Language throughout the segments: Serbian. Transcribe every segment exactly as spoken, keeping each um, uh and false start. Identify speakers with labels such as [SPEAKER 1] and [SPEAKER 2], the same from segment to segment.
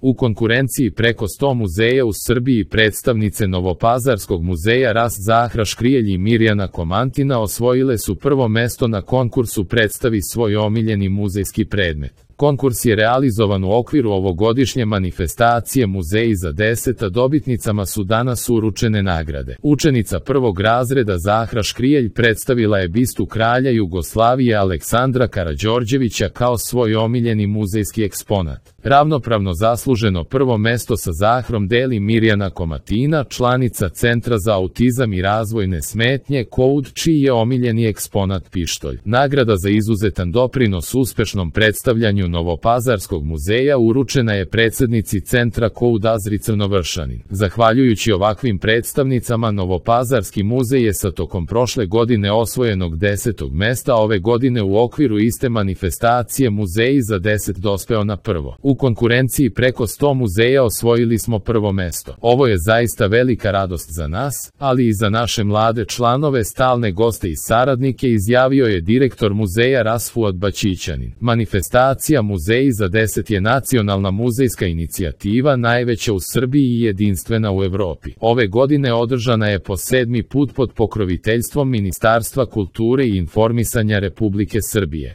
[SPEAKER 1] U konkurenciji preko sto muzeja u Srbiji predstavnice Novopazarskog muzeja Ras Zahra Škrijelj i Mirjana Komantina osvojile su prvo mesto na konkursu Predstavi svoj omiljeni muzejski predmet. Konkurs je realizovan u okviru ovogodišnje manifestacije Muzeji za deset, a dobitnicama su danas uručene nagrade. Učenica prvog razreda Zahra Škrijelj predstavila je bistu kralja Jugoslavije Aleksandra Karađorđevića kao svoj omiljeni muzejski eksponat. Ravnopravno zasluženo prvo mesto sa Zahrom deli Mirjana Komatina, članica Centra za autizam i razvojne smetnje Koud, čiji je omiljeni eksponat pištolj. Nagrada za izuzetan doprinos uspešnom predstavljanju Novopazarskog muzeja uručena je predsednici Centra Koud Azri Crnovršanin. Zahvaljujući ovakvim predstavnicama, Novopazarski muzej je sa tokom prošle godine osvojenog desetog mesta ove godine u okviru iste manifestacije Muzeji za deset dospeo na prvo. U konkurenciji preko sto muzeja osvojili smo prvo mesto. Ovo je zaista velika radost za nas, ali i za naše mlade članove, stalne goste i saradnike, izjavio je direktor muzeja Rasfuad Baćićanin. Manifestacija Muzeji za deset je nacionalna muzejska inicijativa, najveća u Srbiji i jedinstvena u Evropi. Ove godine održana je po sedmi put pod pokroviteljstvom Ministarstva kulture i informisanja Republike Srbije.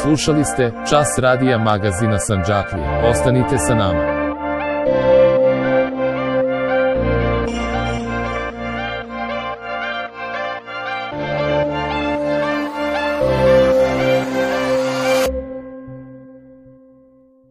[SPEAKER 1] Slušali ste Čas radija magazina Sandžaklija. Ostanite sa nama.